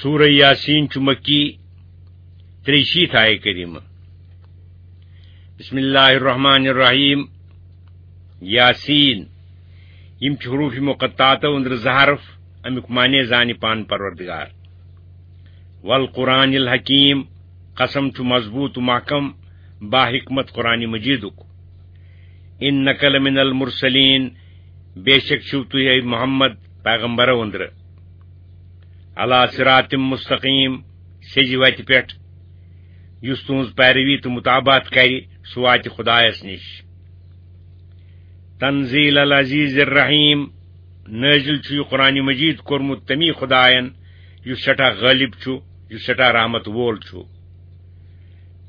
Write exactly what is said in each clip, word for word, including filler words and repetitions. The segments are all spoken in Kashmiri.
سورہ یاسین چھُ مکی، ترٛیٚیہِ شیٖتھ آیہِ کریمہ۔ بسم اللہ الرحمن الرحیم۔ یاسین۔ یِم چھِ حروف مقطعاتو أنٛدرٕ زٕ حرف، امیُک معنی زانہِ پانہٕ پروردگار۔ والقرآن الحکیم، قسم چھُ مضبوط و محکم، با حکمت قرآن مجیدُک۔ انک لمن المرسلین، بے شک چھِو تُہۍ، اے محمد، پیغمبرو أنٛدرٕ۔ علی صراط مستقیم، سیٚزِ وتہِ پٮ۪ٹھ۔ یُس تُہنٛز پیروی تہٕ متابعت کرِ، سُہ واتہِ خدایس نِش۔ تنزیل العزیز الرحیم، نٲزِل چھُ یہِ قرآن مجید کوٚرمُت تمی خداین، یُس سٮ۪ٹھاہ غٲلب چھُ، یُس سٮ۪ٹھاہ رحمت وول چھُ۔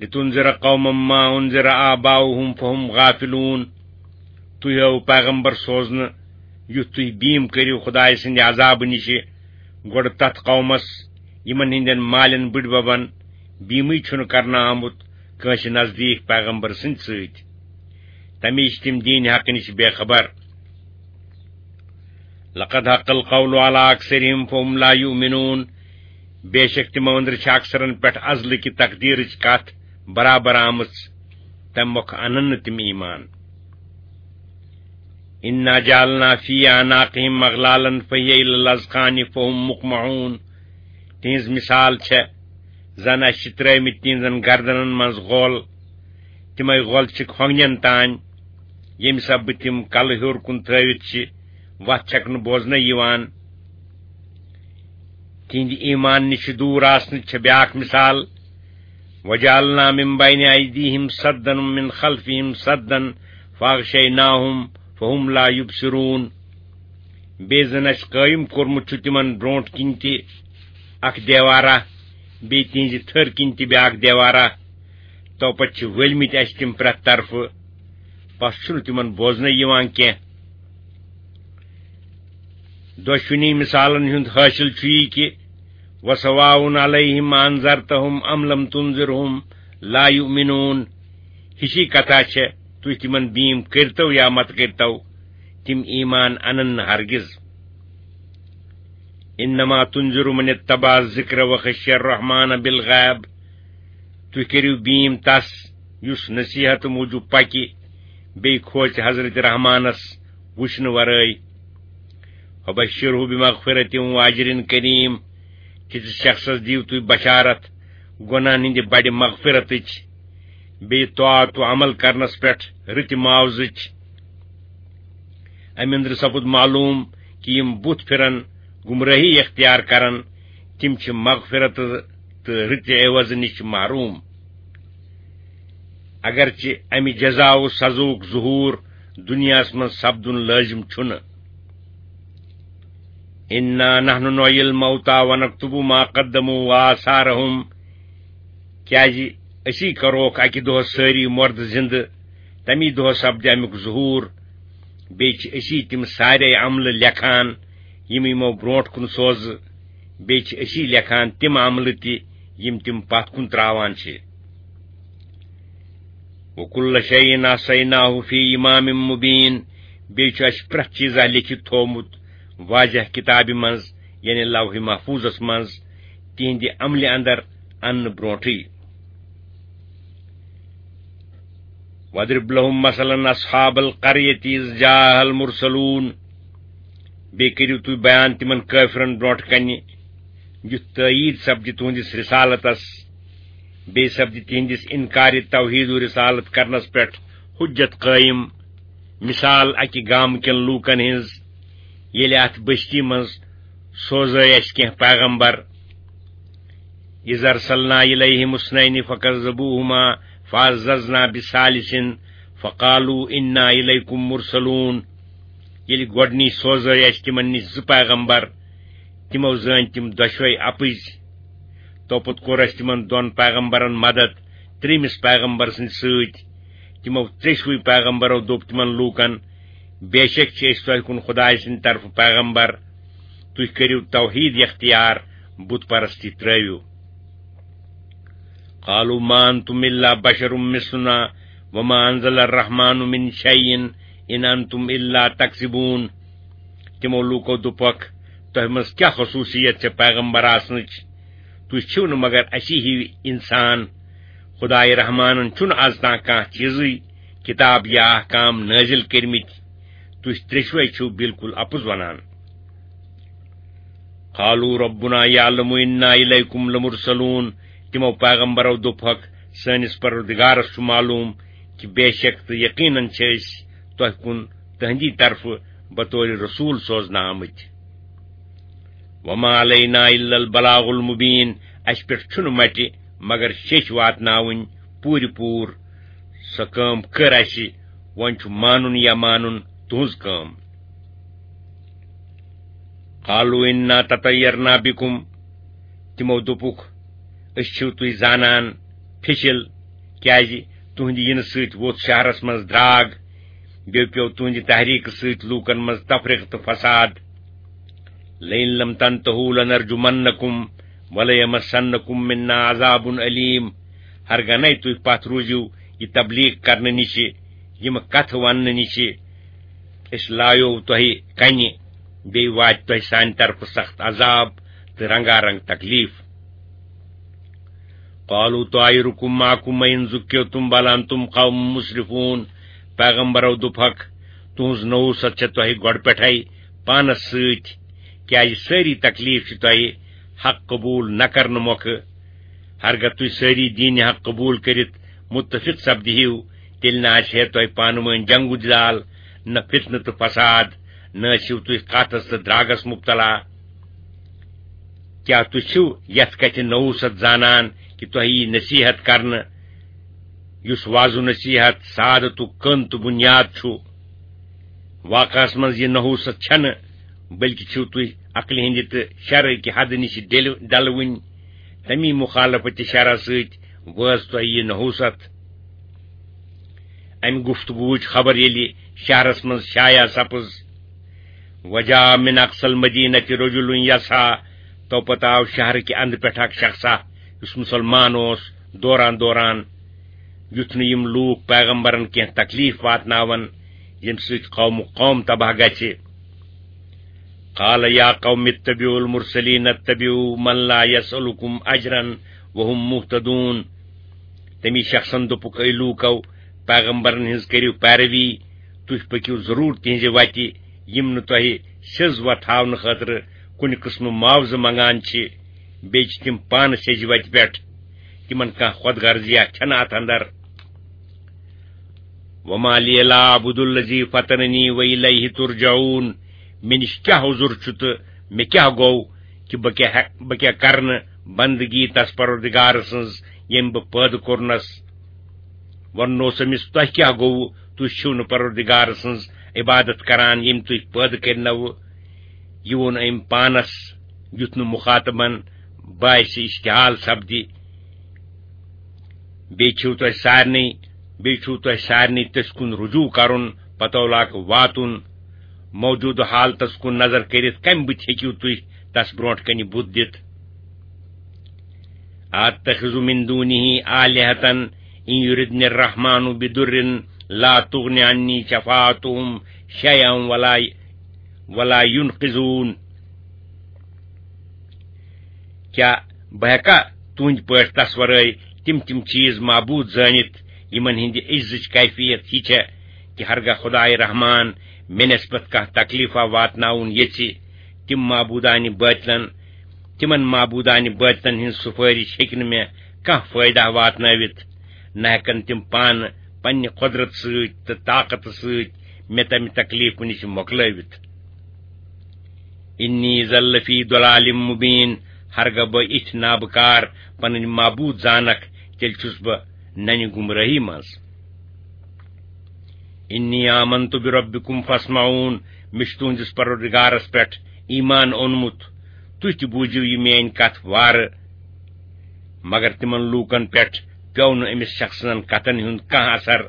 لتنذر قوما ما انذر آباؤہم فہم غافلون۔ تُہۍ آو پیغمبر سوزنہٕ، یُتھ تُہۍ بیٖم کٔرِو خدایہِ سٕنٛدِ عذابہٕ نِشہِ، گۄڈٕ تتھ قومس، یِمن ہٕنٛدٮ۪ن مالٮ۪ن بٕڈببن بیٖمٕے چھُنہٕ کرنہٕ آمُت کٲنٛسہِ نزدیٖک پیغمبر سٕنٛدِ سۭتۍ۔ تمے چھِ تِم دیٖنِ حق نِش بے خبر۔ لقد حق القول علی اکثرہم فہم لا یؤمنون۔ بے شک تِمو أنٛدرٕ چھِ اکثرن پٮ۪ٹھ ازلہٕ کہِ تقدیرٕچ کتھ برابر آمٕژ، تمہِ مۄکھٕ انن نہٕ تِم ایمان۔ انا جعلنا فی اعناقہم اغلالا فہی الی الاذقان فہم مقمحون۔ تِہنٛز مثال چھےٚ زن اسہِ چھِ ترٲومٕتۍ تِہنٛزن گردنن منٛز غول، تِمے غول چھِ کھۄنگنٮ۪ن تام، ییٚمہِ سببہٕ تِم کلہٕ ہیوٚر کُن تھٲوِتھ چھِ وتھ چھکنہٕ بوزنَے یِوان۔ تِہنٛدِ ایمان نِش دوٗر آسنٕچ چھےٚ بیاکھ مثال، وجعلنا من بین ایدیہم سدا ومن خلفہم سدا فاغشیناہم فہم لا یبصرون۔ بیٚیہِ زن اسہِ قٲیِم کوٚرمُت چھُ تِمن برونٛٹھ کِنۍ تہِ اکھ دیوارا، بیٚیہِ تِہنٛزِ تھٔر کِنۍ تہِ بیاکھ دیوارا۔ تو پتہٕ چھِ ؤلمٕتۍ اسہِ تِم پرٛٮ۪تھ طرفہٕ، پس چھُنہٕ تِمن بوزنَے یِوان کینٛہہ۔ دۄشوٕنی مثالن ہُنٛد حٲصِل چھُ یہِ کہِ وسواء علیہم انذرتہم ام لم تنذرہم لا یؤمنون۔ ہِشی کتھا چھےٚ، تُہۍ تِمن بیٖم کٔرتو یا مت کٔرتو، تِم ایمان انن نہٕ ہرگز۔ انما تنذر من اتبع الذکر وخشی الرحمن بالغیب۔ تُہۍ کٔرِو بیٖم تس، یُس نصیحت موٗجوٗب پکہِ، بیٚیہِ کھوژِ حضرت رحمانس وٕچھنہٕ ورٲے۔ فبشرہ بمغفرۃ واجر کریم، تِتھِس شخصس دِیِو تُہۍ بشارت گۄناہن ہٕنٛدِ بڑِ مغفرتٕچ، بیٚیہِ طاعت و عمل کرنس پٮ۪ٹھ رٕتہِ معاوضٕچ۔ امہِ أنٛدرٕ سپُد معلوم کہِ یِم بُتھ پھِرن، گمرٲہی اختیار کرن، تِم چھِ مغفرت تہٕ رٕتہِ عوض نِش محروم۔ اگرچہ امہِ جزا و سزاہُک ظہور دنیاہس منٛز سپدُن لٲزم چھُنہٕ۔ انا نحن نحیی الموتى ونکتب ما قدموا وآثارهم۔ کیازِ أسی کروکھ اکہِ دۄہ سٲری مردٕ زندٕ، تمی دۄہ سپدِ امیُک ظہور۔ بیٚیہِ چھِ أسی تِم سارے عملہٕ لیکھان، یِم یِمو برونٛٹھ کُن سوزٕ۔ بیٚیہِ چھِ أسی لیکھان تِم عملہٕ تہِ، یِم تِم پتھ کُن تراوان چھِ۔ وکل شیء احصیناہ فی امام مبین۔ بیٚیہِ چھُ اَسہِ پرٛٮ۪تھ چیٖزا لیکھِتھ تھوومُت واضح کِتابہِ منٛز، یعنی لوح محفوظس منٛز، تِہنٛدِ عملہِ اندر اننہٕ برونٛٹھٕے۔ وَاضْرِبْ لَهُمْ مَثَلًا أَصْحَابَ الْقَرْيَةِ إِذْ جَاءَهَا الْمُرْسَلُونَ۔ بیٚیہِ کٔرِو تُہۍ بیان تِمن کٲفرن برونٛٹھ کنہِ، یُتھ تٲییٖد سپدِ تُہنٛدِس رسالتس، بیٚیہِ سپدِ تِہنٛدِس انکارِ توحید و رسالت کرنس پٮ۪ٹھ حجت قٲیِم۔ مثال اکہِ گامہٕ کٮ۪ن لوٗکن ہٕنٛز، ییٚلہِ اتھ بستی منٛز سوزے اسہِ کینٛہہ پیغمبر۔ اذ ارسلنا الیہم اثنین فکذبوہما فعززنا بثالث فقالوا انا الیکم مرسلون۔ ییٚلہِ گۄڈٕنی سوزے اسہِ تِمن نِش زٕ پیغمبر، تِمو زٲنۍ تِم دۄشوے اپٕزۍ۔ توپُت کوٚر اسہِ تِمن دۄن پیغمبرن مدد ترٛیٚیمِس پیغمبر سٕنٛدِ سۭتۍ۔ تِمو ژٔسوٕے پیغمبرو دوٚپ تِمن لوٗکن، بے شک چھِ أسۍ تۄہہِ کُن خدایہِ سٕنٛدِ طرفہٕ پیغمبر، تُہۍ کٔرِو توحید اختیار، بت پرستی ترٲوِو۔ قالوا ما انتم الا بشر مثلنا وما انزل الرحمن من شيء ان انتم الا تكذبون۔ تِمو لوٗکو دوٚپکھ، تۄہہِ منٛز کیٛاہ خصوٗصیت چھےٚ پیغمبر آسنٕچ؟ تُہۍ چھِو نہٕ مگر اَسی ہِوۍ اِنسان۔ خۄداے رحمانن چھُنہٕ از تام کانٛہہ چیٖزٕے، کِتاب یا احکام نٲزِل کٔرمٕتۍ۔ تُہۍ ترٛیٚشوَے چھِو بالکل اپُز ونان۔ قالوا ربنا يعلم إنا إليكم لمرسلون۔ تِمو پیغمبرو دوٚپُکھ، سٲنِس پروردگارس چھُ معلوم کہِ بے شک تہٕ یقیناً چھِ أسۍ تۄہہِ کُن تٕہٕنٛدی طرفہٕ بطور رسول سوزنہٕ آمٕتۍ۔ وما علينا إلا البلاغ المبين۔ اَسہِ پٮ۪ٹھ چھُنہٕ مٹہِ مگر شیٚچھ واتناوٕنۍ پوٗرِ پوٗر۔ سۄ کٲم کٔر اَسہِ، وۄنۍ چھُ مانُن یا مانُن تُہٕنٛز کٲم۔ قالوا إنا تطيرنا بكم۔ تِمو دوٚپُکھ، أسۍ چھِو تُہۍ زانان پھِچِل، کیازِ تُہٕنٛدِ یِنہٕ سۭتۍ ووٚتھ شہرس منٛز دراگ، بیٚیہِ پیوٚو تُہٕنٛدِ تحریٖکہٕ سۭتۍ لوٗکن منٛز تفرقہٕ تہٕ فساد۔ لئن لم تنتهوا لنرجمنكم وليمسنكم منا عذاب أليم۔ ہرگاہ نَے تُہۍ پتھ روٗزِو یہِ تبلیغ کرنہٕ نِشہِ، یِم کتھٕ وننہٕ نِشہِ، أسۍ لایو تۄہہِ کنہِ، بیٚیہِ واتہِ تۄہہِ سانہِ طرفہٕ سخت عذاب تہٕ رنگارنگ تکلیف۔ قالوا طائركم معكم أئن ذكرتم بل أنتم قوم مسرفون۔ پیغمبرو دوٚپہکھ، تُہٕنٛز نحوست چھےٚ تۄہہِ گۄڈٕ پٮ۪ٹھے پانس سۭتۍ، کیازِ سٲری تکلیف چھِ تۄہہِ حق قبول نہ کرنہٕ مۄکھٕ۔ ہرگاہ تُہۍ سٲری دین حق قبول کٔرِتھ متفق سپدِہِو، تیٚلہِ نہ آسہِ ہے تۄہہِ پانہٕ وٲنۍ جنگ و جدال، نہ فتنہٕ تہٕ فساد، نہ ٲسِو تُہۍ کتھس تہٕ دراگس مبتلا۔ کیٛاہ تُہۍ چھِو یتھ کتھِ نحوست زانان کہِ تۄہہِ یی نصیحت کرنہٕ، یُس وعظ و نصیحت سعادتُک کٔن تہٕ بُنیاد چھُ؟ واقعس منٛز یہِ نحوست چھنہٕ، بلکہِ چھِو تُہۍ عقلہِ ہٕنٛدِ تہٕ شرعٕکہِ حدٕ نِش ڈیلہِ-، ڈلوٕنۍ۔ تمی مخالفت شرع سۭتۍ وٲژ تۄہہِ یہِ نحوست۔ امہِ گفتگوٗہٕچ خبر ییٚلہِ شہرس منٛز شایع سپٕز، وجاء من اقصى المدينة رجل يسعى، تو پتہٕ آو شہرٕکہِ اندٕ پٮ۪ٹھ اکھ شخصا، یُس مُسلمان اوس، دوران دوران، یُتھ نہٕ یِم لوٗکھ پیغمبرن کینٛہہ تکلیف واتناون، ییٚمہِ سۭتۍ قومُک قوم تباہ گژھِ۔ قال يا قوم اتبعوا المرسلين اتبعوا من لا يسألكم أجرا وهم مهتدون۔ تمی شخصن دوٚپُکھ، اے لوٗکو، پیغمبرن ہٕنٛز کٔرِو پیروی، تُہۍ پٔکِو ضروٗر تِہنٛزِ وتہِ، یِم نہٕ تۄہہِ سیٚز وتھ ہاونہٕ خٲطرٕ کُنہِ قٕسمہٕ معاوضہٕ منگان چھِ، بیٚیہِ چھِ تِم پانہٕ سیٚزِ وتہِ پٮ۪ٹھ، تِمن کانٛہہ خۄد غرضیہ چھنہٕ اتھ اندر۔ وما لي لا أعبد الذي فطرني وإليه ترجعون۔ مےٚ نِش کیٛاہ عذر چھُ تہٕ مےٚ کیٛاہ گوٚو کہِ بہٕ کیٛاہ ہیٚک-، بہٕ کیٛاہ کرنہٕ بندگی تس پروردگار سٕنٛز، ییٚمۍ بہٕ پٲدٕ کوٚرنس؟ ووٚننوس أمِس، تۄہہِ کیٛاہ گوٚوٕ؟ تُہۍ چھِو نہٕ پروردگار سٕنٛز عبادت کران، ییٚمۍ تُہۍ پٲدٕ کٔرنوٕ۔ یہِ ووٚن أمۍ پانس، یُتھ نہٕ مخاطبن باسہِ اشتعال سپدِ۔ بیٚیہِ چھِو تۄہہِ سارنٕے، بیٚیہِ چھُو تۄہہِ سارنٕے تٔسۍ کُن رجوع کرُن، پتولہ واتُن۔ موجودٕ حالتس کُن نظر کٔرِتھ کمہِ بُتھِ ہیٚکِو تُہۍ تس برونٛٹھ کنہِ بُتھ دِتھ؟ أتخذ من دونه آلهة إن يردن الرحمن بضر لا تغن عني شفاعتهم شيئا ولا، ولا ينقذون۔ کیٛاہ بہٕ ہیٚکا تُہنٛدِ پٲٹھۍ تس ورٲے تِم تِم چیٖز معبوٗد زٲنِتھ، یِمن ہٕنٛدِ عجزٕچ کیفیت یہِ چھےٚ کہِ ہرگاہ خداے رحمان مےٚ نسبت کانٛہہ تکلیفا واتناوُن یژھِ، تِم معبوٗدانہِ بٲطلن، تِمن معبوٗدانہِ بٲطلن ہٕنٛز سُفٲرِش ہیٚکہِ نہٕ مےٚ کانٛہہ فٲیدہ واتنٲوِتھ، نہ ہیٚکن تِم پانہٕ پننہِ قۄدرت سۭتۍ تہٕ طاقتہٕ سۭتۍ مےٚ تمہِ تکلیفہٕ نِش مۄکلٲوِتھ۔ إني إذا لفي ضلال مبين، ہرگاہ بہٕ اِتھۍ نابکار پنٕنۍ معبوٗد زانکھ، تیٚلہِ چھُس بہٕ ننہِ گمرٲہی منٛز۔ إني آمنت بربكم فاسمعون، مےٚ چھُ تُہنٛدِس پروردگارس پٮ۪ٹھ ایمان اوٚنمُت، تُہۍ تہِ بوٗزِو یہِ میٲنۍ کتھ وارٕ۔ مگر تِمن لوٗکن پٮ۪ٹھ پیوٚو نہٕ أمِس شخصن کتھن ہُنٛد کانٛہہ اثر،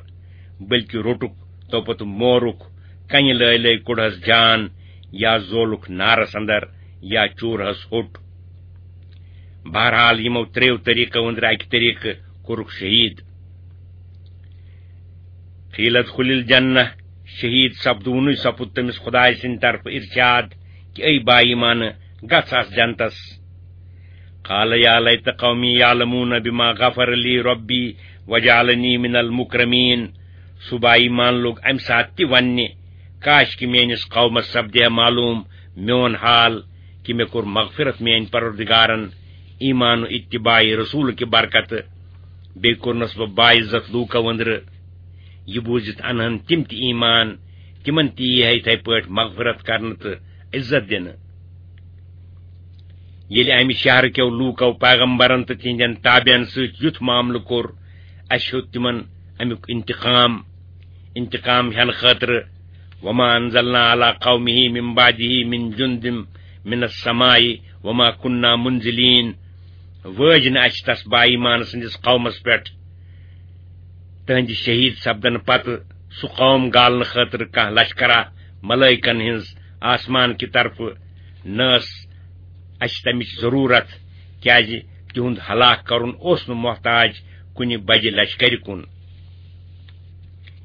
بلکہِ روٚٹُکھ تو پتہٕ مورُکھ، کنہِ لٲے لٲے کوٚڑہس جان، یا زولُکھ نارس اندر، یا چوٗرہس ہوٚٹ۔ بہرحال، یِمو ترٛیٚیو طریٖقو أنٛدرٕ اکہِ طریٖقہٕ کوٚرُکھ شہیٖد۔ قیل ادخل الجنہ، شہیٖد سپدوُنُے سپُد تٔمِس خدایہِ سٕنٛدِ طرفہٕ ارشاد کہِ اے با ایمانہٕ، گژھ اتھ جنتس۔ قال یا لیت قومی یعلمون بما غفر لی ربی وجعلنی من المکرمین۔ سُہ با ایمان لوٚگ امہِ ساتہٕ تہِ وننہِ، کاش کہِ میٲنِس قومس سپدِ ہا معلوم میون حال، کہِ مےٚ کوٚر مغفرت میٲنۍ پروردگارن ایمان و اتباع رسول کہِ برکتہٕ، بیٚیہِ کوٚرنس بہٕ باعزت لوٗکو أنٛدرٕ۔ یہِ بوٗزِتھ انہن تِم تہِ ایمان، تِمن تہِ یی ہے یِتھے پٲٹھۍ مغفرت کرنہٕ تہٕ عزت دِنہٕ۔ ییٚلہِ امہِ شہرٕ کیو لوٗکو پیغمبرن تہٕ تِہنٛدٮ۪ن تابعن سۭتۍ یُتھ معاملہٕ کوٚر، اسہِ ہیوٚت تِمن امیُک انتقام، انتقام ہٮ۪نہٕ خٲطرٕ۔ وما انزلنا علی قومہ من بعدہ من جند من السماء وما کنا منزلین۔ وٲج نہٕ اسہِ تس با ایمان سٕنٛدِس قومس پٮ۪ٹھ تہنٛدِ شہید سپدنہٕ پتہٕ سُہ قوم گالنہٕ خٲطرٕ کانٛہہ لشکرا ملائکن ہٕنٛز آسمان کہِ طرفہٕ۔ نہ ٲس اسہِ تمِچ ضروٗرت، کیازِ تِہُنٛد ہلاک کرُن اوس نہٕ محتاج کُنہِ بجہِ لشکرِ کُن۔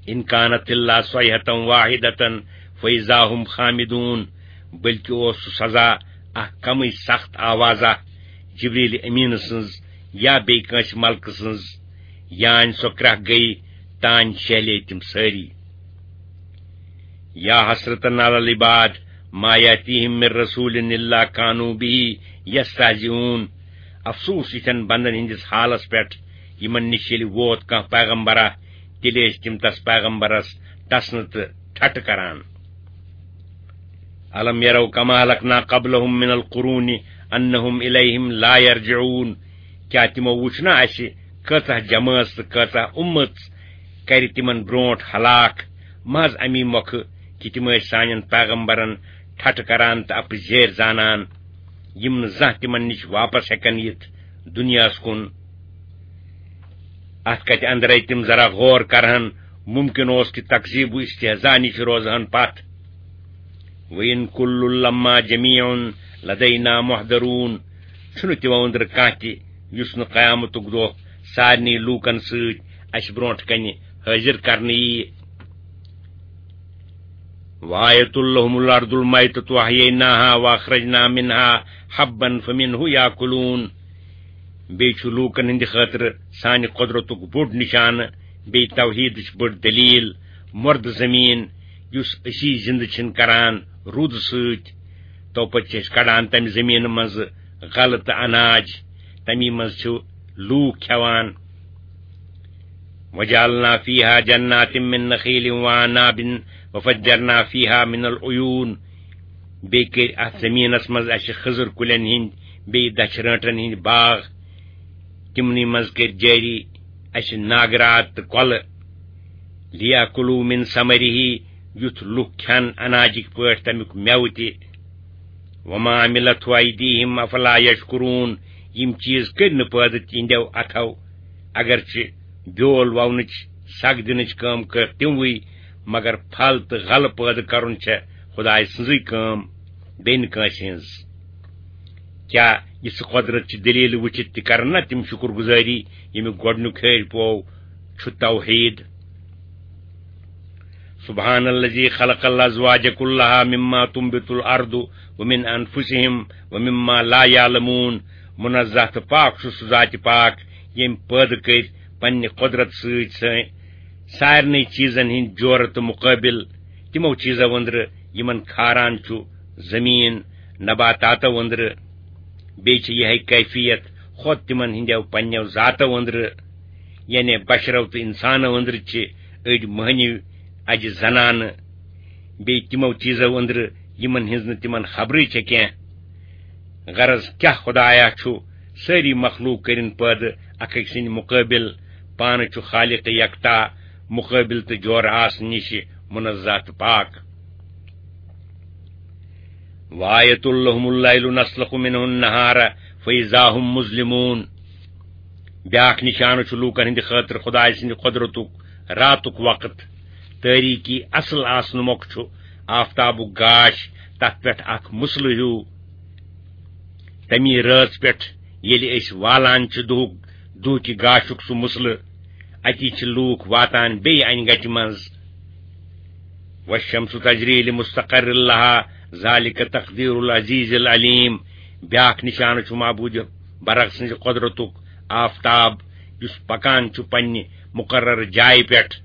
ان کانت الا صیحة واحدة فاذا هم خامدون۔ بلکہِ اوس سُہ سزا اکھ کمٕے سخت آوازہ جبریل امین سٕنٛز یا بیٚیہِ کٲنٛسہِ ملکہٕ سٕنٛز، یانۍ سۄ کرٛکھ گٔیہِ تانۍ شیہلے تِم سٲری۔ یا حسرة علی العباد ما یأتیہم من رسول الا کانوا بہ یستہزئون۔ افسوس یِتھٮ۪ن بندن ہٕنٛدِس حالس پٮ۪ٹھ، یِمن نِش ییٚلہِ ووت کانٛہہ پیغمبرا، تیٚلہِ ٲسۍ تِم تس پیغمبرس ٹسنہٕ تہٕ ٹھٹھٕ کران۔ الم یروا کما اہلکنا قبلہم من القرون انہم الیہم لا یرجعون۔ کیٛاہ تِمو وُچھ نہ اسہِ کۭژاہ جمٲژ تہٕ کۭژاہ اُمت کرِ تِمن برونٹھ ہلاک، محض امی مۄکھٕ کہِ تِم ٲسۍ سانٮ۪ن پیغمبرن ٹھٹھٕ کران تہٕ اپٕزیٲرۍ زانان، یِم نہٕ زانٛہہ تِمن نِش واپس ہٮ۪کن یِتھ دُنیاہس کُن۔ اتھ کتھِ اندرے تِم ذرا غور کرہن، ممکن اوس کہِ تکذیب و استہزاء نِش روزہن پتھ۔ وَإِن كُلٌّ لَمَّا جَمِيعٌ لَدَيْنَا مُحْضَرُونَ۔ چھُنہٕ تِمو أنٛدرٕ کانٛہہ تہِ یُس نہٕ قیامتُک دۄہ سارنٕے لوٗکن سۭتۍ اَسہِ برونٛٹھ کنہِ حٲضِر کرنہٕ یِیہِ۔ وَآيَةٌ لَهُمُ الْأَرْضُ الْمَيْتَةُ أَحْيَيْنَاهَا وَأَخْرَجْنَا مِنْهَا حَبًّا فَمِنْهُ يَأْكُلُونَ۔ بیٚیہِ چھُ لوٗکن ہٕنٛدِ خٲطرٕ سانہِ قۄدرتُک بوٚڑ نِشانہٕ، بیٚیہِ توحیٖدٕچ بٔڑ دٔلیٖل، مۄردٕ زٔمیٖن، یُس أسی زِنٛدٕ چھِن کران روٗدٕ سۭتۍ۔ تو پتہٕ چھِ أسۍ کڑان تَمہِ زٔمیٖنہٕ منٛزٕ غلہٕ تہٕ اناج، تَمی منٛز چھِ لوٗکھ کھٮ۪وان۔ وَجَعَلْنَا فِيهَا جَنَّاتٍ مِّن نَخِيلٍ وَأَعْنَابٍ وَفَجَّرْنَا فِيهَا مِنَ الْعُيُونِ۔ بیٚیہِ کٔرۍ اَتھ زٔمیٖنَس منٛز اَسہِ خٔزٕر کُلٮ۪ن ہِنٛدۍ، بیٚیہِ دَچھِ رٲنٛٹَن ہِنٛدۍ باغ۔ تِمنٕے منٛز کٔرۍ جٲری اَسہِ ناگہٕ راتھ تہٕ کۄلہٕ۔ لِیَأْكُلُوا مِن ثَمَرِهِ، یُتھ لُکھ کھٮ۪ن اناجِکۍ پٲٹھۍ تَمیُک مٮ۪وٕ تہِ۔ وَمَا عَمِلَتْهُ أَيْدِيهِمْ أَفَلَا يَشْكُرُونَ۔ یِم چیٖز کٔرۍ نہٕ پٲدٕ تِہنٛدیو اَتھو، اگرچہِ بیول وونٕچ، سگ دِنٕچ کٲم کٔر تِموٕے، مگر پھل تہٕ غلہٕ پٲدٕ کرُن چھےٚ خدایہِ سٕنٛزٕے کٲم، بیٚیہِ نہٕ کٲنٛسہِ ہٕنٛز۔ کیٛاہ یِژھ قۄدرت چہِ دٔلیٖلہٕ وٕچھِتھ تہِ کرن نا تِم شُکر گُزٲری، ییٚمیُک گۄڈٕنیُک ہیٚرِ پوو چھُ توحیٖد؟ سبحان الذي خلق الازواج كلها مما تنبت الارض ومن انفسهم ومما لا يعلمون۔ منزہ تہٕ پاک چھُ سُہ ذاتِ پاک، ییٚمۍ پٲدٕ کٔرۍ پننہِ قۄدرت سۭتۍ سٲنۍ سارنٕے چیٖزن ہٕنٛدۍ جورٕ تہٕ مُقٲبِل، تِمو چیٖزو أنٛدرٕ یِمن کھاران چھُ زٔمیٖن نباتاتو أنٛدرٕ۔ بیٚیہِ چھِ یِہے کیفیت خۄد تِمن ہٕنٛدیو پننیو ذاتو أنٛدرٕ، یعنی بشرو تہٕ انسانو أنٛدرٕ چھِ أڑۍ مٔہنِو، اجہِ زنانہٕ، بیٚیہِ تِمو چیٖزو أنٛدرٕ یِمن ہٕنٛز نہٕ تِمن خبرٕے چھےٚ کینٛہہ۔ غرض کیٛاہ خدایا چھُ سٲری مخلوق کٔرِن پٲدٕ اکھ أکۍ سٕنٛدِ مُقٲبِل، پانہٕ چھُ خالق یکتا، مُقٲبِل تہٕ جورٕ آسنہٕ نِشہِ منزہ تہٕ پاک۔ وآية لهم الليل نسلخ منه النهار فإذا هم مظلمون۔ بیاکھ نشانہٕ چھُ لوٗکن ہٕنٛدِ خٲطرٕ خدایہِ سٕنٛدِ قۄدرتُک راتُک وقت۔ تٲریٖکی اصل آسنہٕ مۄکھٕ چھُ آفتابُک گاش تتھ پٮ۪ٹھ اکھ مُسلہٕ ہیوٗ۔ تمی رٲژ پٮ۪ٹھ ییٚلہِ أسۍ والان چھِ دُہُک، دُہکہِ گاشُک سُہ مُسلہٕ، اتی چھِ لوٗکھ واتان بیٚیہِ انہِ گٹہِ منٛز۔ والشمس تجري لمستقر لها ذلك تقدير العزيز العليم۔ بیاکھ نشانہٕ چھُ معبوٗدِ برق سٕنٛزِ قۄدرتُک آفتاب، یُس پکان چھُ پننہِ مقرر جایہِ پٮ۪ٹھ۔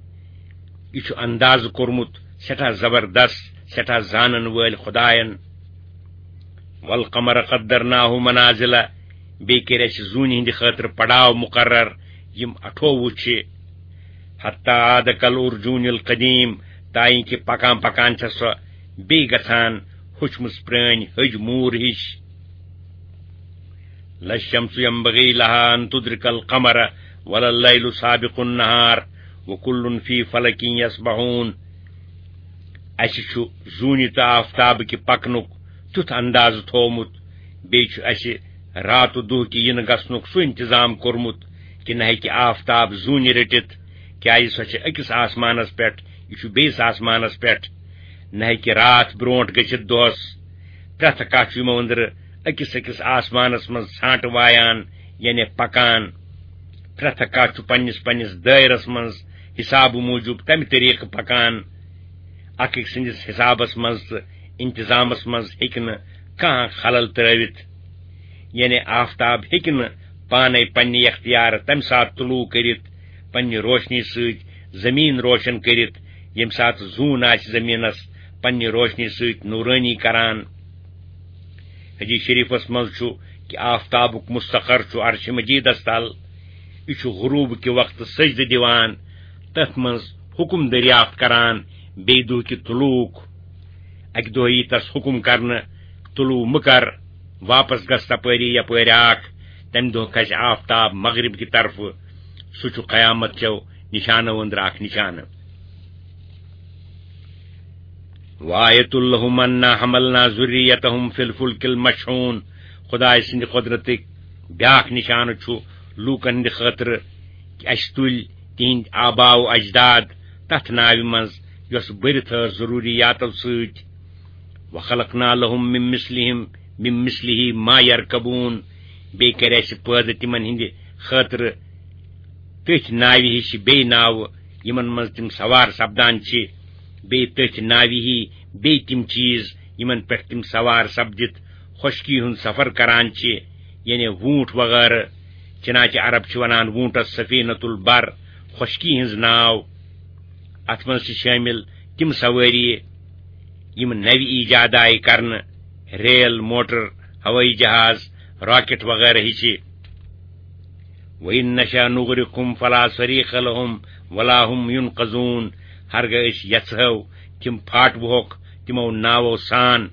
یہِ چھُ اندازٕ کوٚرمُت سٮ۪ٹھاہ زبردست، سٮ۪ٹھاہ زانن وٲلۍ خدایَن۔ والقمر قدرناه منازل، بیٚیہِ کٔرۍ اَسہِ زوٗنہِ ہٕنٛدِ خٲطرٕ پڑاو مقرر، یِم اَٹھووُہ چھِ۔ حتی عاد کالعرجون القدیم، تائیں کہِ پکان پکان چھےٚ سۄ بیٚیہِ گژھان ہوٚچھمٕژ پرٛٲنۍ ۂج موٗر ہِش۔ لا الشمس ينبغي لها أن تدرك القمر ولا الليل سابق النهار وكل في فلك يسبحون۔ اَسہِ چھُ زوٗنہِ تہٕ آفتابہٕ کہِ پکنُک تیُتھ اندازٕ تھوومُت، بیٚیہِ چھُ اَسہِ راتہٕ دۄہ کہِ یِنہٕ گژھنُک سُہ انتظام کوٚرمُت کہِ نہ ہیٚکہِ آفتاب زوٗنہِ رٔٹِتھ، کیٛازِ سۄ چھِ أکِس آسمانس پٮ۪ٹھ، یہِ چھُ بیٚیِس آسمانس پٮ۪ٹھ۔ نہ ہیٚکہِ راتھ برونٛٹھ گٔژھِتھ دۄہس۔ پرٛٮ۪تھ کانٛہہ چھُ یِمو أنٛدرٕ أکِس أکِس آسمانس منٛز ژھانٛٹہٕ وایان، یعنی پکان۔ پرٛٮ۪تھ کانٛہہ چھُ پننِس پننِس دٲیرس منٛز حسابہٕ موٗجوٗب تمہِ طریقہٕ پکان۔ اکھ أکۍ سٕنٛدِس حسابس منٛز تہٕ انتظامس منٛز ہیٚکہِ نہٕ کانٛہہ خلل ترٲوِتھ۔ یعنی آفتاب ہیٚکہِ نہٕ پانے پننہِ اختیارٕ تمہِ ساتہٕ طلوع کٔرِتھ، پننہِ روشنی سۭتۍ زمین روشن کٔرِتھ، ییٚمہِ ساتہٕ زوٗن آسہِ زمینس پننہِ روشنی سۭتۍ نورانی کران۔ حدیث شریفس منٛز چھُ کہِ آفتابُک مستقر چھُ عرش مجیدس تل۔ یہِ چھُ غروب کہِ وقتہٕ سجدٕ دِوان، تتھ منٛز حکم دریافت کران، بیٚیہِ دۄہ کہِ طلوعُک۔ اکہِ دۄہ یی تس حکم کرنہٕ، طلوع مہٕ کر، واپس گژھ تپٲری یپٲرۍ آکھ۔ تمہِ دۄہ کھسہِ آفتاب مغرب کہِ طرفہٕ۔ سُہ چھُ قیامت چیو نشانو أنٛدرٕ اکھ نشانہٕ۔ وآیة لهم أنا حملنا ذريتهم في الفلك المشحون۔ خدایہِ سٕنٛدِ قۄدرتٕکۍ بیٛاکھ نشانہٕ چھُ لوٗکن ہٕنٛدِ خٲطرٕ کہِ اَسہِ تُلۍ تِہنٛدۍ آبا و اجداد تتھ ناوِ منٛز، یۄس بٔرِتھ ٲس ضروٗریاتو سۭتۍ۔ وخلقنا لهم من مثلهم، من مثله ما يركبون۔ بیٚیہِ کَرِ اَسہِ پٲدٕ تِمن ہٕنٛدِ خٲطرٕ تٔتھۍ ناوِ ہِش بیٚیہِ ناوٕ، یِمن منٛز تِم سوار سپدان چھِ، بیٚیہِ تٔتھۍ ناوِ ہی بیٚیہِ تِم چیٖز، یِمن پٮ۪ٹھ تِم سوار سپدِتھ خۄشکی ہُنٛد سفر کران چھِ، یعنی ووٗنٛٹھ وغٲرٕ۔ چنانچہ عرب چھِ ونان ووٗنٛٹس سفینۃ البر، خۄشکی ہٕنٛز ناو۔ اتھ منٛز چھِ شٲمِل تِم سوٲری، یِم نوِ ایجاد آیہِ کرنہٕ، ریل، موٹر، ہوٲیی جہاز، راکٹ وغیرہ ہِچہِ۔ وَإِن نَشَأْ نُغْرِقْهُمْ فَلَا صَرِيخَ لَهُمْ وَلَا هُمْ يُنْقَذُونَ۔ ہرگاہ أسۍ یژھو، تِم پھاٹوہوکھ تِمو ناوو سان،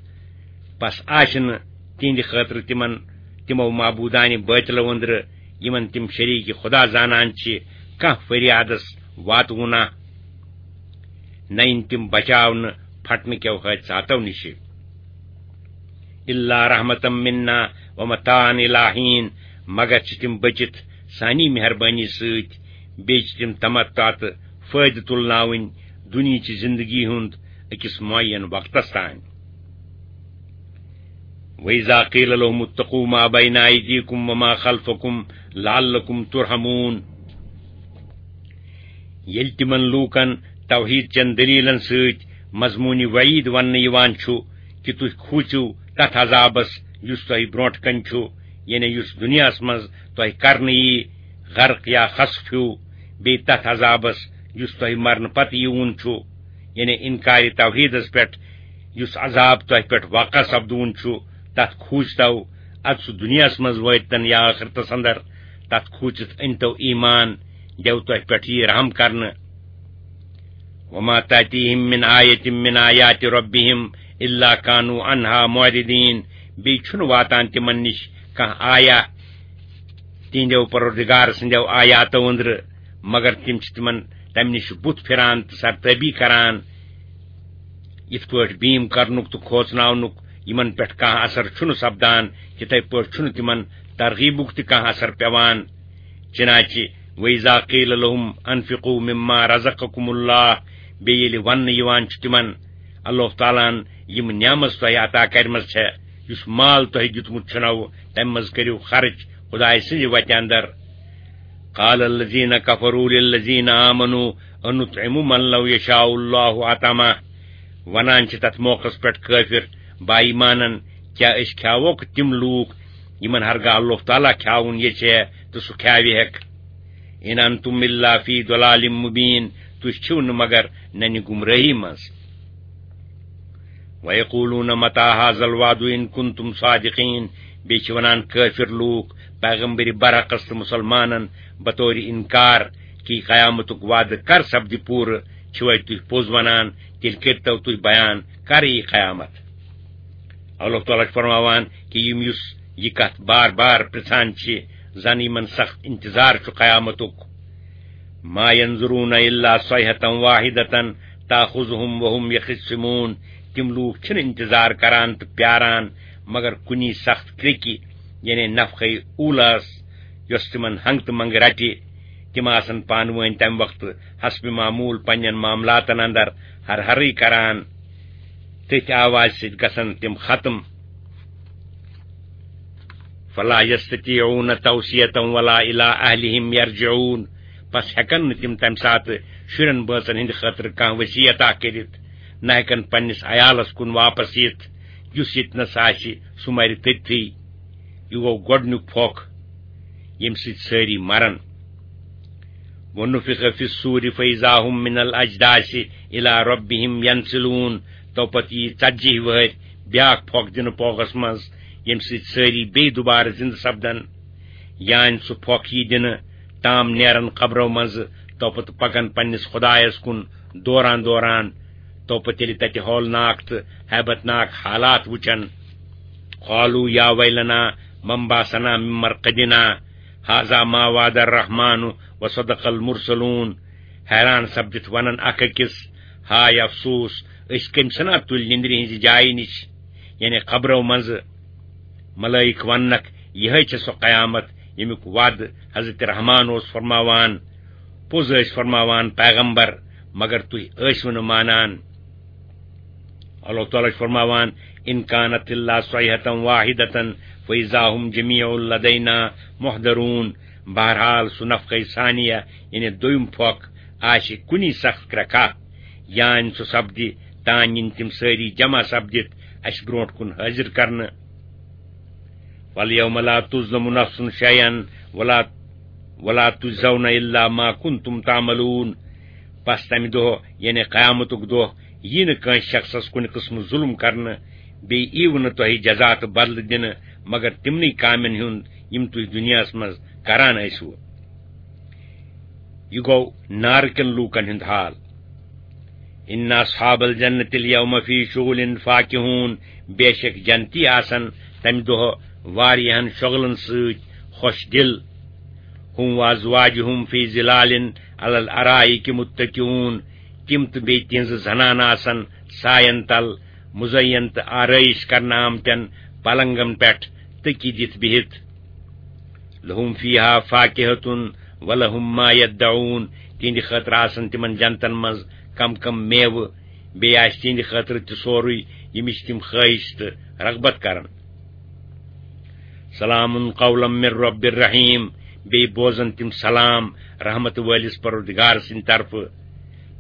پس آسہِ نہٕ تِہنٛدِ خٲطرٕ تِمن تِمو معبوٗدانہِ بٲطلو أنٛدرٕ، یِمن تِم شریٖک خدا زانان چھِ، کانٛہہ فریادس واتوُنہ۔ نہ یِن تِم بچاونہٕ پھٹنہٕ کیو حٲدثاتو نِشہِ۔ إِلَّا رَحْمَةً مِنَّا وَمَتَاعًا إِلَىٰ حِينٍ، مگر چھِ تِم بٔچِتھ سانی مہربٲنی سۭتۍ، بیٚیہِ چھِ تِم تمتع تہٕ فٲیدٕ تُلناوٕنۍ دُنیہچہِ زندگی ہُنٛد أکِس معین وقتس تام۔ وَإِذَا قِيلَ لَهُمُ اتَّقُوا مَا بَيْنَ أَيْدِيكُمْ وَمَا خَلْفَكُمْ لَعَلَّكُمْ تُرْحَمُونَ۔ ییٚلہِ تِمن لوٗکن توحید چٮ۪ن دٔلیٖلن سۭتۍ مضموٗنِ وعیٖد وننہٕ یِوان چھُ کہِ تُہۍ کھوٗژِو تتھ عذابس یُس تۄہہِ برونٛٹھ کنہِ چھُ، یعنی یُس دُنیاہس منٛز تۄہہِ کرنہٕ یی، غرق یا خسف ہیوٗ، بیٚیہِ تتھ عذابس یُس تۄہہِ مرنہٕ پتہٕ یِوُن چھُ، یعنی انکارِ توحیدس پٮ۪ٹھ یُس عذاب تۄہہِ پٮ۪ٹھ واقع سپدوُن چھُ، تتھ کھوٗژتو۔ ادٕ سُہ دُنیاہس منٛز وٲتۍتن یا ٲخرتس اندر، تتھ کھوٗژِتھ أنۍتو ایمان، دیو تۄہہِ پٮ۪ٹھ یی رحم کرنہٕ۔ وَمَا تَأْتِيهِمْ مِنْ آيَةٍ مِنْ آيَاتِ رَبِّهِمْ إِلَّا كَانُوا عَنْهَا مُعْرِضِينَ۔ بیٚیہِ چھُنہٕ واتان تِمن نِش کانٛہہ آیا تِہنٛدیو پروردگار سٕنٛدیو آیاتو أنٛدرٕ، مگر تِم چھِ تِمن تمہِ نِش بُتھ پھِران تہٕ سرتٲبی کران۔ یِتھ پٲٹھۍ بیٖم کرنُک تہٕ کھوژناونُک یِمن پٮ۪ٹھ کانٛہہ اثر چھُنہٕ سپدان، تِتھے پٲٹھۍ چھُنہٕ تِمن ترغیبُک تہِ کانٛہہ اثر پٮ۪وان۔ چنانچہ وَإِذَا قِيلَ لَهُمْ أَنْفِقُوا مِمَّا رَزَقَكُمُ اللَّهُ، بیٚیہِ ییٚلہِ وننہٕ یِوان چھُ تِمن، اللہ تعالیٰ ہن یِم نعمژ تۄہہِ عطا کرِمژ چھےٚ، یُس مال تۄہہِ دیُتمُت چھُنو، تمہِ منٛز کٔرِو خرٕچ خدایہِ سٕنٛزِ وتہِ اندر۔ قَالَ الَّذِينَ كَفَرُوا لِلَّذِينَ آمَنُوا أَنُطْعِمُ مَنْ لَوْ يَشَاءُ اللَّهُ أَطْعَمَهُ۔ ونان چھِ تتھ موقعس پٮ۪ٹھ کٲفر با ایمانن، کیٛاہ أسۍ کھیاووکھ تِم لوٗکھ یِمن ہرگاہ اللہ تعالیٰ کھیاوُن یژھِ تہٕ سُہ کھیاوِ ہیٚکھ۔ ان انتم الا فی ضلال مبین، تُہۍ چھِو نہٕ مگر ننہِ گمرٲہی منٛز۔ ویقولون متى هذا الوعد ان کنتم صادقین، بیٚیہِ چھِ ونان کٲفِر لوٗکھ پیغمبر برحقس تہٕ مسلمانن بطور انکار کہِ قیامتُک وعدٕ کر سپدِ پوٗرٕ، چھِوے تُہۍ پوٚز ونان، تیٚلہِ کٔرتو تُہۍ بیان کر یی قیامت۔ اللہ تعالیٰ چھُ فرماوان کہِ یِم یُس یہِ کتھ بار بار پرژھان چھِ، زن یِمن سخت انتظار چھُ قیامتُک۔ ما ينظرون الا صيحة واحدة تأخذهم وهم يخصمون، تِم لوٗکھ چھِنہٕ انتظار کران تہٕ پیاران مگر کُنی سخت کرٛیٚکہِ، یعنی نفخے اولاہس، یۄس تِمن ہنگ تہٕ منگ رٹہِ۔ تِم آسن پانہٕ وٲنۍ تمہِ وقتہٕ حسب معمول پننٮ۪ن معاملاتن اندر ہر ہرٕے کران۔ تٔتھۍ آوازِ سۭتۍ گژھن تِم ختم۔ فلا يستطيعون توصية ولا إلى أهلهم يرجعون، پس ہیکن نہٕ تِم تمہِ ساتہٕ شُرٮ۪ن بٲژن ہٕنٛدِ خٲطرٕ کانٛہہ وصیت اکھ کٔرِتھ، نہ ہیکن پننِس عیالس کُن واپس یِتھ، یُس ییٚتنس آسہِ سُہ مرِ تٔتتھٕے۔ یہِ گوٚو گۄڈنیُک پھۄکھ، ییٚمہِ سۭتۍ سٲری مرن۔ ونفخ في الصور فإذا هم من الأجداث إلى ربهم ينسلون۔ تو پتہٕ یی ژتجی وہٕرۍ بیاکھ پھۄکھ دِنہٕ پوگس منٛز، ییٚمہِ سۭتۍ سٲری بیٚیہِ دوبارٕ زِندٕ سپدن۔ یعنی سُہ پھۄکھ یی دِنہٕ، تام نیرن قبرو منٛزٕ، تو پتہٕ پکن پننِس خدایس کُن دوران دوران۔ تو پتہٕ ییٚلہِ تتہِ ہولناک تہٕ ہیبت ناک حالات وٕچھن، قالوا يا ويلنا من بعثنا من مرقدنا هذا ما وعد الرحمن وصدق المرسلون۔ حیران سپدِتھ ونن اکھ أکِس، ہاے افسوس، أسۍ کٔمۍ سنا تُلۍ نِندرِ ہٕنزِ جایہِ نِش، یعنی قبرو منٛزٕ۔ ملائک وننکھ، یِہے چھےٚ سۄ قیامت، ییٚمیُک وعدٕ حضرت رحمان اوس فرماوان۔ پوٚز ٲسۍ فرماوان پیغمبر، مگر تُہۍ ٲسِو نہٕ مانان۔ اللہ تعالیٰ چھُ فرماوان، ان كانت الا صيحة واحدة فإذا هم جميع لدينا محضرون۔ بہرحال، سُہ نفخہ ثانیہ، یعنی دوٚیُم پھۄکھ، آسہِ کُنی سخت کرٛکھا، یعنی سُہ سپدِ، تانۍ یِن تِم سٲری جمع سپدِتھ اَسہِ برونٛٹھ کُن حٲضِر کرنہٕ۔ واليوم لا تظلم نفس شيئا ولا ولا تجزون الا ما كنتم تعملون۔ پس تمہِ دۄہ، یعنی قیامتُک دۄہ، یی نہٕ کٲنٛسہِ شخصس کُنہِ قٕسمہٕ ظُلُم کرنہٕ، بیٚیہِ ییٖوٕ نہٕ تۄہہِ جزا تہٕ بدلہٕ دِنہٕ مگر تِمنٕے کامٮ۪ن ہُنٛد یِم تُہۍ دُنیاہس منٛز کران ٲسِوٕ۔ یہِ گوٚو نارٕکٮ۪ن لوٗکن ہُنٛد حال۔ ان اصحاب الجنة اليوم في شغل فاكهون، بے شک جنتی آسن تمہِ دۄہ واریاہن شۄغلن سۭتۍ خۄش دِل۔ هم وازواجهم في ظلال على الارائك متكئون، تِم تہٕ بیٚیہِ تِہنٛزٕ زنانہٕ آسن ساین تل مزین تہٕ آرٲیش کرنہٕ آمتٮ۪ن پلنگن پٮ۪ٹھ تٔکی دِتھ بِہِتھ۔ لهم فيها فاكهة ولهم ما يدعون، تِہنٛدِ خٲطرٕ آسن تِمن جنتن منٛز کم کم میوٕ، بیٚیہِ آسہِ تِہنٛدِ خٲطرٕ تہِ سورُے، ییٚمِچ تِم خٲہِش تہٕ رغبت کرن۔ سلام قولا من رب الرحیم، بیٚیہِ بوزن تِم سلام رحمت وٲلِس پروردگار سٕنٛدِ طرفہٕ۔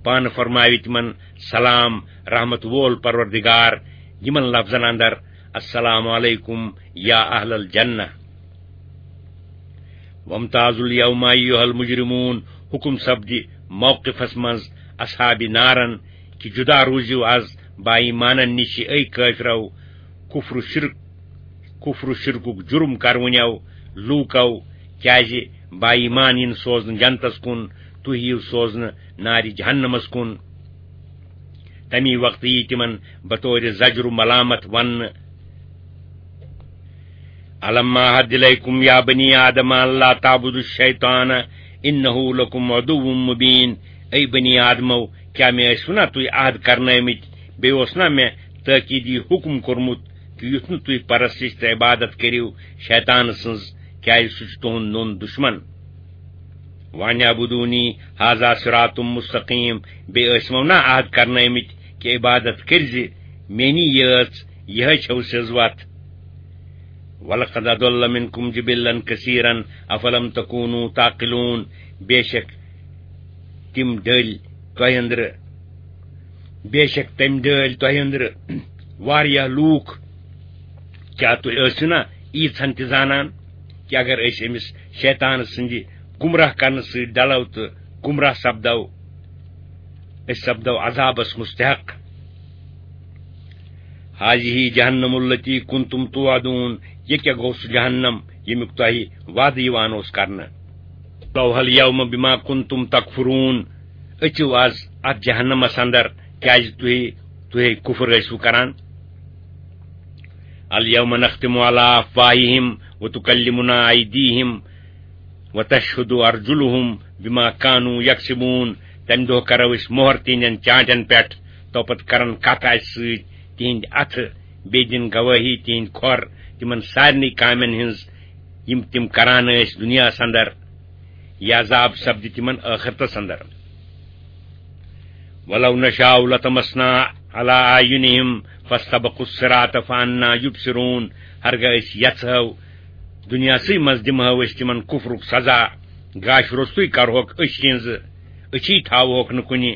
پانہٕ فرماوِ تِمن سلام رحمت وول پروردگار یِمن لفظن اندر، السلام علیکم یا اہل الجنہ۔ وامتازوا اليوم أيها المجرمون، حکم سپدِ موقفس منٛز اصحاب نارن کہِ جدا روٗزِو از با ایمانن نِش، اے کٲفرو، کفر و شرک، کفر و شرکُک جرم کرونیو لوٗکو، کیازِ با ایمان یِن سوزنہٕ جنتس کُن، تُہۍ یِیِو سوزنہٕ نارِ جہنمس کُن۔ تمی وقتہٕ یی تِمن بطور زجر و ملامت وننہٕ، الم اعہد الیکم یا بنی آدم ان لا تعبدوا الشیطان انہ لکم عدو مبین۔ اے بنی آدمو، کیا مےٚ ٲسوٕ نا تُہۍ عہد کرنٲومٕتۍ؟ بیٚیہِ اوس نا مےٚ تٲکیٖدی حکم کوٚرمُت کہِ یُتھ نہٕ تُہۍ پرستش تہٕ عبادت کٔرِو شیطان سٕنٛز، کیازِ سُہ چھُ تُہُنٛد نوٚن دُشمن؟ وان اعبدونی ھذا صراط مستقیم، بیٚیہِ ٲسۍ مو نا عہد کرنٲومٕتۍ کہِ عبادت کٔرزِ میٛٲنی یٲژ، یِہے چھو سیٚز وتھ۔ ولقد اضل منکم جبلا کثیرا افلم تکونوا تعقلون، بے شک تِم ڈٔلۍ تۄہہِ أنٛدرٕ، بے شک تٔمۍ ڈٲلۍ تۄہہِ أنٛدرٕ واریاہ لوٗکھ۔ کیٛاہ تُہۍ ٲسِو نا ییٖژہن تہِ زانان کہِ اگر أسۍ أمِس شیطان سٕنٛدِ گمراہ کرنہٕ سۭتۍ ڈلو تہٕ گمراہ سپدو، أسۍ سپدو عذابس مستحق۔ هذه جهنم التي كنتم توعدون، یہِ کیٛاہ گوٚو سُہ جہنم ییٚمیُک تۄہہِ وعدٕ یِوان اوس کرنہٕ؟ ذوقوا اليوم بما كنتم تكفرون، أژِو از اتھ جہنمس اندر، کیازِ تُہۍ، تُہۍ کفر ٲسِو کران۔ اليوم نختم على أفواههم وتكلمنا أيديهم وتشهد أرجلهم بما كانوا يكسبون، تمہِ دۄہ کرو أسۍ مۄہر تِہنٛدٮ۪ن چانٹٮ۪ن پٮ۪ٹھ، تو پتہٕ کرن کتھ اسہِ سۭتۍ تِہنٛدۍ اتھٕ، بیٚیہِ دِن گوٲہی تِہنٛدۍ کھۄر تِمن سارنٕے کامٮ۪ن ہٕنٛز، یِم تِم کران ٲسۍ دُنیاہس اندر۔ یہِ عذاب سپدِ تِمن ٲخرتس اندر۔ ولو نشاء لطمسنا على أعينهم فاستبقوا الصراط فأنى يبصرون۔ ہرگاہ أسۍ یژھو، دُنیاہسٕے منٛز دِمہو أسۍ تِمن کفرُک سزا، گاش روٚستُے کرہوکھ أچھ ہٕنٛز، أچھی تھاوہوکھ نہٕ کُنہِ،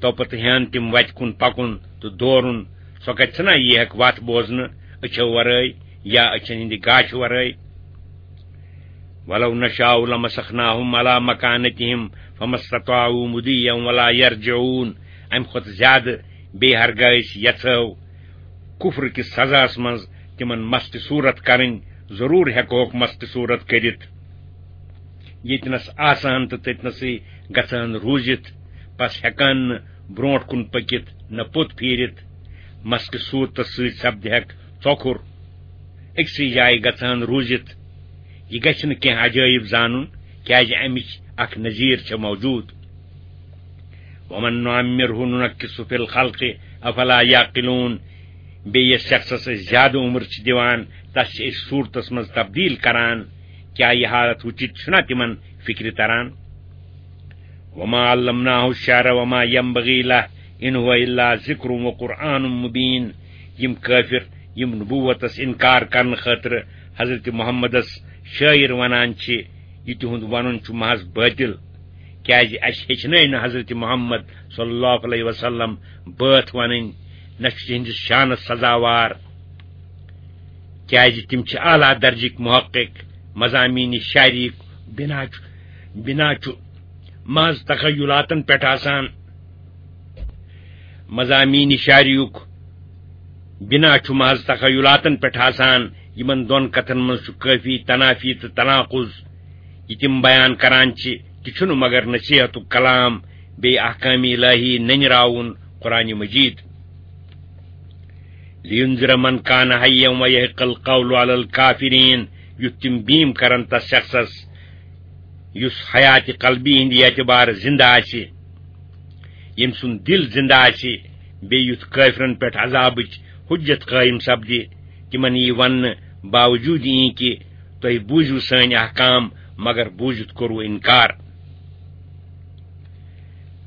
تو پتہٕ ہٮ۪ن تِم وتہِ کُن پکُن تہٕ دورُن۔ سۄ کتہِ ژھٕنا یی ہٮ۪کھ وتھ بوزنہٕ أچھو ورٲے یا أچھن ہٕنٛدِ گاشہِ ورٲے؟ ولو نشاء لمسخناهم على مكانتهم فما استطاعوا مضيا ولا يرجعون۔ امہِ کھۄتہٕ زیادٕ بیٚیہِ ہرگاہ أسۍ یژھو کفر کِس سزاہس منٛز تِمن مستِ صورت کرٕنۍ، ضروٗر ہٮ۪کہوکھ مستِ صورت کٔرِتھ۔ ییٚتنس آسہٕ ہن تہٕ تٔتنسٕے گژھٕ ہن روٗزِتھ، پس ہٮ۪کہٕ ہن نہٕ برونٛٹھ کُن پٔکِتھ نہ پوٚت پھیٖرِتھ۔ مستِ صورتس سۭتۍ سپدِ ہٮ۪کھ ژۄکُر۔ أکسٕے جایہِ گژھٕ ہن روٗزِتھ۔ یہِ گژھِ نہٕ کینٛہہ عجٲیب زانُن، کیازِ امِچ اکھ نظیٖر چھےٚ موجود۔ ومن نعمره ننكسه في الخلق افلا يعقلون۔ بیٚیہِ یَس شخصس أسۍ زیادٕ عمر چھِ دِوان، تس چھِ أسۍ صورتس منٛز تبدیل کران۔ کیٛاہ یہِ حالت وٕچھِتھ چھُنا تِمن فکرِ تران؟ وما علمناه الشعر وما ينبغي له إن هو إلا ذكر وقرآن مبين۔ یِم کٲفر، یِم نبوتس انکار کرنہٕ خٲطرٕ حضرت محمدس شٲعر ونان چھِ، یہِ تِہُنٛد ونُن چھُ محض باطل، کیازِ اسہِ ہیٚچھنٲے نہٕ حضرت محمد صلی اللہ علیہ وسلم بٲتھ ونٕنۍ، نہ چھُ تِہنٛدِس شانس سزاوار، کیازِ تِم چھِ اعلیٰ درجٕکۍ محقق۔ مضامین شاعری بنا چھُ، بنا چھُ محض تخیلاتن پٮ۪ٹھ آسان۔ مضامین شاعریُک بنا چھُ محض تخیلاتن پٮ۪ٹھ آسان۔ یِمن دۄن کتھن منٛز چھُ کٲفی تنافی تہٕ تناقض۔ یہِ تِم بیان کران چھِ، تہِ چھُنہٕ مگر نصیحتُک کلام، بیٚیہِ احکام الہی نٔنۍ راوُن قرآن مجید۔ لِيُنذِرَ مَنْ كَانَ حَيًّا وَيَحِقَّ الْقَوْلُ عَلَى الْكَافِرِينَ، یُتھ تِم بیٖم کرن تس شخصس یُس حیاتِ قلبی ہٕنٛدِ اعتبارٕ زِندٕ آسہِ، ییٚمۍ سُنٛد دِل زِندٕ آسہِ، بیٚیہِ یُتھ کٲفرن پٮ۪ٹھ عذابٕچ حُجت قٲیِم سپدِ، تِمن یی وننہٕ باوجوٗد یی کہِ تۄہہِ بوٗزِو سٲنۍ احکام، مگر بوٗزِتھ کوٚروٕ اِنکار۔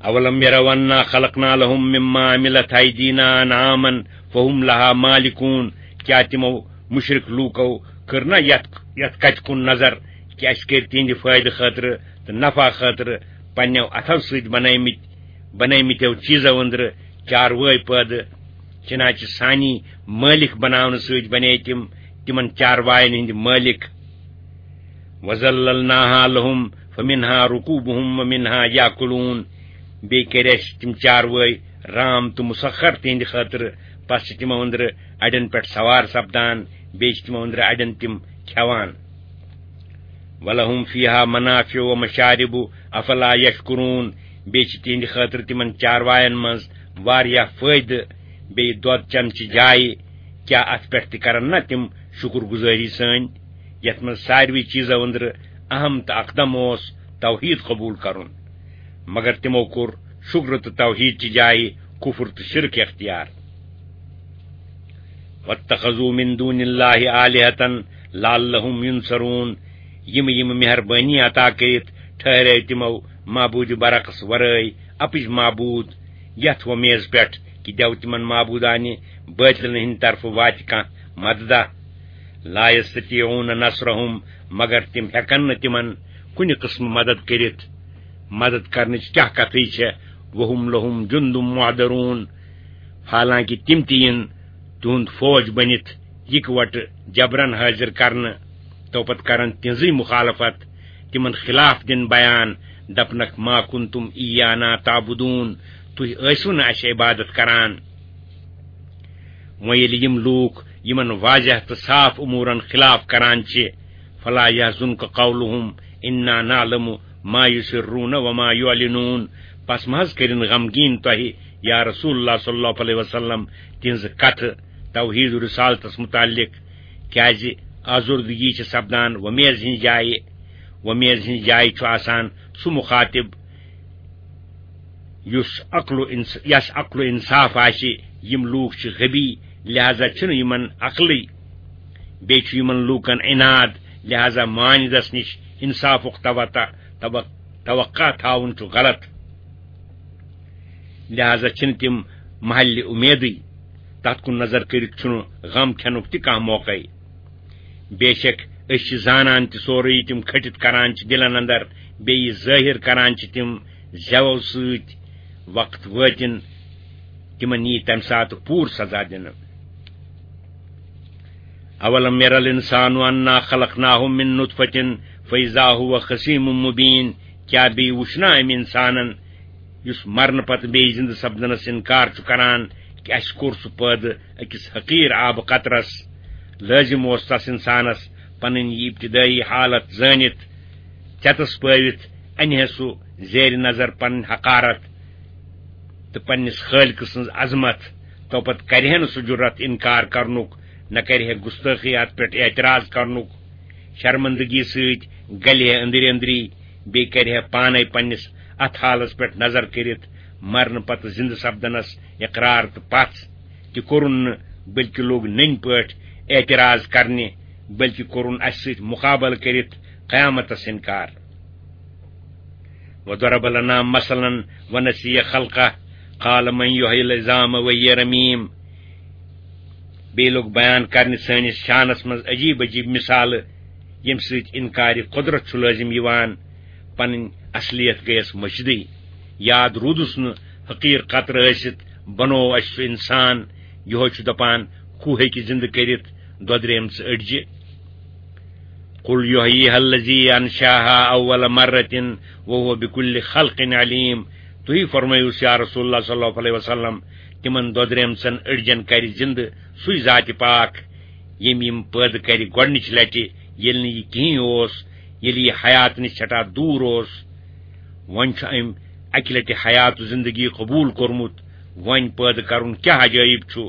اولم یروا انا خلقنا لهم مما عملت ایدینا انعاما فهم لها مالکون۔ کیا تِمو مشرک لوٗکو کٔر نہ یتھ، یتھ کتھِ کُن نظر کہِ اسہِ کٔرۍ تِہنٛدِ فٲیدٕ خٲطرٕ تہٕ نفع خٲطرٕ پننیو اتھو سۭتۍ بنٲومٕتۍ، بنٲومٕتیو چیٖزو أنٛدرٕ چاروٲے پٲدٕ؟ چنانچہ سانی مٲلک بناونہٕ سۭتۍ بنے تِم تِمن چارواین ہٕنٛدۍ مٲلک۔ وَذَلَّلْنَاهَا لَهُمْ فَمِنْهَا رُكُوبُهُمْ وَمِنْهَا يَأْكُلُونَ۔ بیٚیہِ کٔرۍ اَسہِ تِم چاروٲے رام تہٕ مُسخر تِہنٛدِ خٲطرٕ، پس چھِ تِمو أنٛدرٕ اَڑٮ۪ن پٮ۪ٹھ سوار سپدان، بیٚیہِ چھِ تِمو أنٛدرٕ اَڑٮ۪ن تِم کھٮ۪وان۔ وَلَهُمْ فِيهَا مَنَافِعُ وَمَشَارِبُ أَفَلَا يَشْكُرُونَ۔ بیٚیہِ چھِ تِہنٛدِ خٲطرٕ تِمن چاروایَن منٛز واریاہ فٲیدٕ، بیٚیہِ دۄد چٮ۪نہٕ چہِ جایہِ۔ کیٛاہ اَتھ پٮ۪ٹھ تہِ کرن نہ تِم شُکر گُزٲری سٲنۍ؟ یَتھ منٛز ساروٕے چیٖزو أنٛدرٕ اہم تہٕ اقدم اوس توحیٖد قبوٗل کرُن، مگر تِمو کوٚر شُکر تہٕ توحیٖد چہِ جایہِ کُفر تہٕ شرک اختیار۔ وَاتَّخَذُوا مِن دُونِ اللَّهِ آلِهَةً لَعَلَّهُمْ يُنصَرُونَ۔ یِم یِم مہربٲنی عطا کٔرِتھ ٹھہرے تِمو معبوٗدِ برعکس ورٲے اپٕج معبوٗد، یَتھ وۄمیز پٮ۪ٹھ کہِ دٮ۪و تِمن معبوٗدانہِ بٲطلن ہٕنٛدِ طرفہٕ واتہِ کانٛہہ مددہ۔ لا یستطیعون نصرہم، مگر تِم ہٮ۪کن نہٕ تِمن کُنہِ قٕسمہٕ مدد کٔرِتھ۔ مدد کرنٕچ کیٛاہ کتھٕے چھےٚ؟ وہم لہم جند محضرون، حالانکہ تِم تہِ یِن تِہُنٛد فوج بٔنِتھ۔ یکوٹہٕ جبرن حٲضِر کرنہٕ، تو پتہٕ کرن تِہنٛزٕے مُخالفت، تِمن خلاف دِن بیان، دپنکھ، "ما کنتم ایانا تعبدون"، تُہۍ ٲسِو نہٕ اسہِ عبادت کران۔ وۄنۍ ییٚلہِ یِم لوٗکھ یِمن واضح تہٕ صاف امورن خلاف کران چھِ، "فلا یحزنک قولہم انا نعلم ما یسرون وما یعلنون"، پس مہ حظ کٔرِن غمگیٖن تۄہہِ، یا رسول اللہ صلی اللہ علیہ وسلم، تِہنٛزٕ کتھٕ توحید و رسالتس متعلق، کیازِ آزردگی چھِ سپدان وۄمیز ہٕنٛزِ جایہِ۔ وۄمیز ہٕنٛزِ جایہِ چھُ آسان سُہ مخاطب یُس عقل و انص-، یس عقل و انصاف آسہِ۔ یِم لوٗکھ چھِ غبی، لہذا چھُنہٕ یِمن عقلٕے۔ بیٚیہِ چھُ یِمن لوٗکن عناد، لہذا مانِدس نِش انصافُک توقع، توق-، توقع تھاوُن چھُ غلط۔ لہذا چھِنہٕ تِم محلِ اُمیدٕے۔ تتھ کُن نظر کٔرِتھ چھُنہٕ غم کھٮ۪نُک تہِ کانٛہہ موقعے۔ بے شک، أسۍ چھِ زانان تہِ سورُے، تِم کھٔٹِتھ کران چھِ دِلن اندر، بیٚیہِ ظٲہِر کران چھِ تِم زٮ۪و سۭتۍ۔ وقت وٲتِن، تِمن یی تمہِ ساتہٕ پوٗرٕ سزا دِنہٕ۔ اولم ير الانسان انا خلقناه من نطفة فاذا هو خصيم مبين، کیٛاہ بیٚیہِ وُچھ نا أمۍ انسانن، یُس مرنہٕ پتہٕ بیٚیہِ زِندٕ سپدنس انکار چھُ کران، کہِ اسہِ کوٚر سُہ پٲدٕ أکِس حقیٖر آبہٕ قطرس؟ لٲزِم اوس تس انسانس پنٕنۍ یہِ ابتدٲیی حالت زٲنِتھ، ژٮ۪تس پٲوِتھ انہِ ہے سُہ زیرِ نظر پنٕنۍ حقارت تہٕ پننِس خٲلقہٕ سٕنٛز عظمت۔ تو پتہٕ کرِ ہے نہٕ سُہ جُرت انکار کرنُک، نہ کرِ ہے گستٲخی اتھ پٮ۪ٹھ اعتراض کرنُک۔ شرمندگی سۭتۍ گلہِ ہے أنٛدرۍ أنٛدری، بیٚیہِ کرِ ہے پانے پننِس اتھ حالس پٮ۪ٹھ نظر کٔرِتھ، مرنہٕ پتہٕ زِندٕ سپدنس اقرار تہٕ پژھ تہِ کوٚرُن نہٕ، بلکہِ لوٚگ نٔنۍ پٲٹھۍ اعتراض کرنہِ، بلکہِ کوٚرُن اسہِ سۭتۍ مقابلہٕ کٔرِتھ قیامتس انکار۔ وضرب لنا مثلا ونسی خلقه قال من يحيي العظام وهي رميم۔ بیٚیہِ لوٚگ بیان کرنہِ سٲنِس شانس منٛز عجیب عجیب مثالہٕ، ییٚمہِ سۭتۍ انکارِ قدرت چھُ لٲزِم یِوان، پنٕنۍ اصلیت گٔیَس مٔشدٕے۔ یاد روٗدُس نہٕ حقیٖر قطرٕ ٲسِتھ بنوو اَسہِ سُہ انسان، یِہوے چھُ دپان، ہُہ ہیٚکہِ زِندٕ کٔرِتھ دۄدریمژٕ أڈجہِ۔ قل يحييها الذي أنشأها أول مرة وهو بكل خلق عليم۔ تُہی فرمٲیِوس یا رسول اللہ صلی اللہ علیہ وسلم، تِمن دۄدریمژن أڈجن کرِ زِندٕ سُے ذاتِ پاک، ییٚمۍ یِم پٲدٕ کرِ گۄڈنِچ لٹہِ، ییٚلہِ نہٕ یہِ کِہیٖنۍ اوس، ییٚلہِ یہِ حیات نِش سٮ۪ٹھاہ دوٗر اوس۔ وۄنۍ چھُ أمۍ اکہِ لٹہِ حیات و زندگی قبوٗل کوٚرمُت، وۄنۍ پٲدٕ کرُن کیٛاہ عجٲیب چھُ؟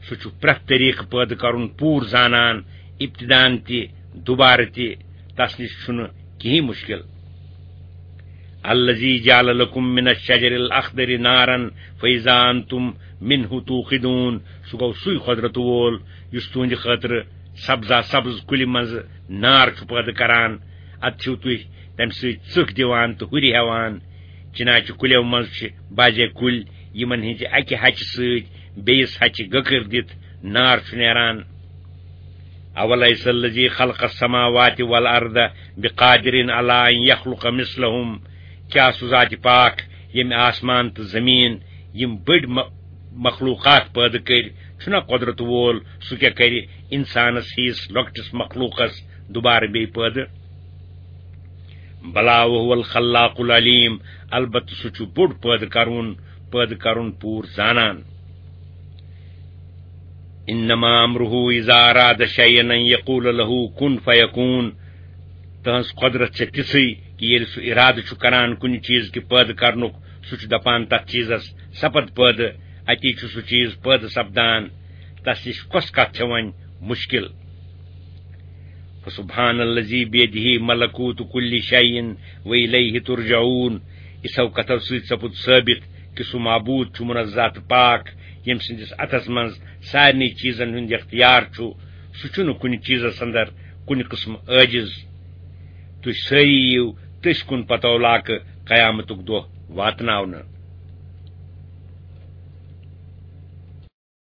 سُہ چھُ پرٛٮ۪تھ طریٖقہٕ پٲدٕ کرُن پوٗرٕ زانان، ابتدان تہِ، دوبارٕ تہِ، تس نِش چھُنہٕ کِہیٖنۍ مُشکِل۔ الذي جعل لكم من الشجر الأخضر نارا فإذا أنتم منه توقدون۔ سُہ گوٚو سُے قۄدرت وول یُس تُہنٛدِ خٲطرٕ سبزا سبز کُلہِ منٛز نار چھُ پٲدٕ کران۔ ادٕ چھِو تُہۍ تمہِ سۭتۍ ژٕکھ دِوان تہٕ ہُرِ ہٮ۪وان۔ چناچہِ کُلٮ۪و منٛز چھِ بعضے کُلۍ، یِمن ہٕنٛزِ اکہِ ہچہِ سۭتۍ بیٚیِس ہچہِ گٔکٕر دِتھ نار چھُ نیران۔ أوليس الذي خلق السماوات والأرض بقادر على أن يخلق مثلهم؟ کیٛاہ سُہ ذاتِ پاک، ییٚمۍ آسمان تہٕ زٔمیٖن، یِم بٔڑۍ م-، مخلوقات پٲدٕ کٔرۍ، چھُنا قۄدرت وول؟ سُہ کیٛاہ کرِ انسانس ہِوِس لۄکٹِس مخلوقس دوبارٕ بیٚیہِ پٲدٕ؟ بلا وهو الخلاق العليم، البتہٕ سُہ چھُ بوٚڑ پٲدٕ کرُن، پٲدٕ کرُن پوٗرٕ زانان۔ إنما أمره إذا أراد شيئا أن يقول له كن فيكون۔ تہنٛز قۄدرت چھےٚ تِژھٕے کہِ ییٚلہِ سُہ اِرادٕ چھُ کران کُنہِ چیٖز کہِ پٲدٕ کرنُک، سُہ چھُ دپان تتھ چیٖزس سپد پٲدٕ، اتی چھُ سُہ چیٖز پٲدٕ سپدان۔ تس نِش کۄس کتھ چھےٚ وۄنۍ مُشکِل؟ فسبحان الذي بيده ملكوت كل شيء وإليه ترجعون۔ یِژھو کتھو سۭتۍ سپُد ثٲبت کہِ سُہ معبوٗد چھُ منزہ تہٕ پاک، ییٚمہِ سٕنٛدِس اتھس منٛز سارنٕے چیٖزن ہُنٛد اختیار چھُ۔ سُہ چھُنہٕ کُنہِ چیٖزس اندر کُنہِ قٕسمہٕ عٲجِز۔ تُہۍ سٲری یِیِو تٔسۍ کُن پتو لاکہٕ قیامتُک دۄہ واتناونہٕ۔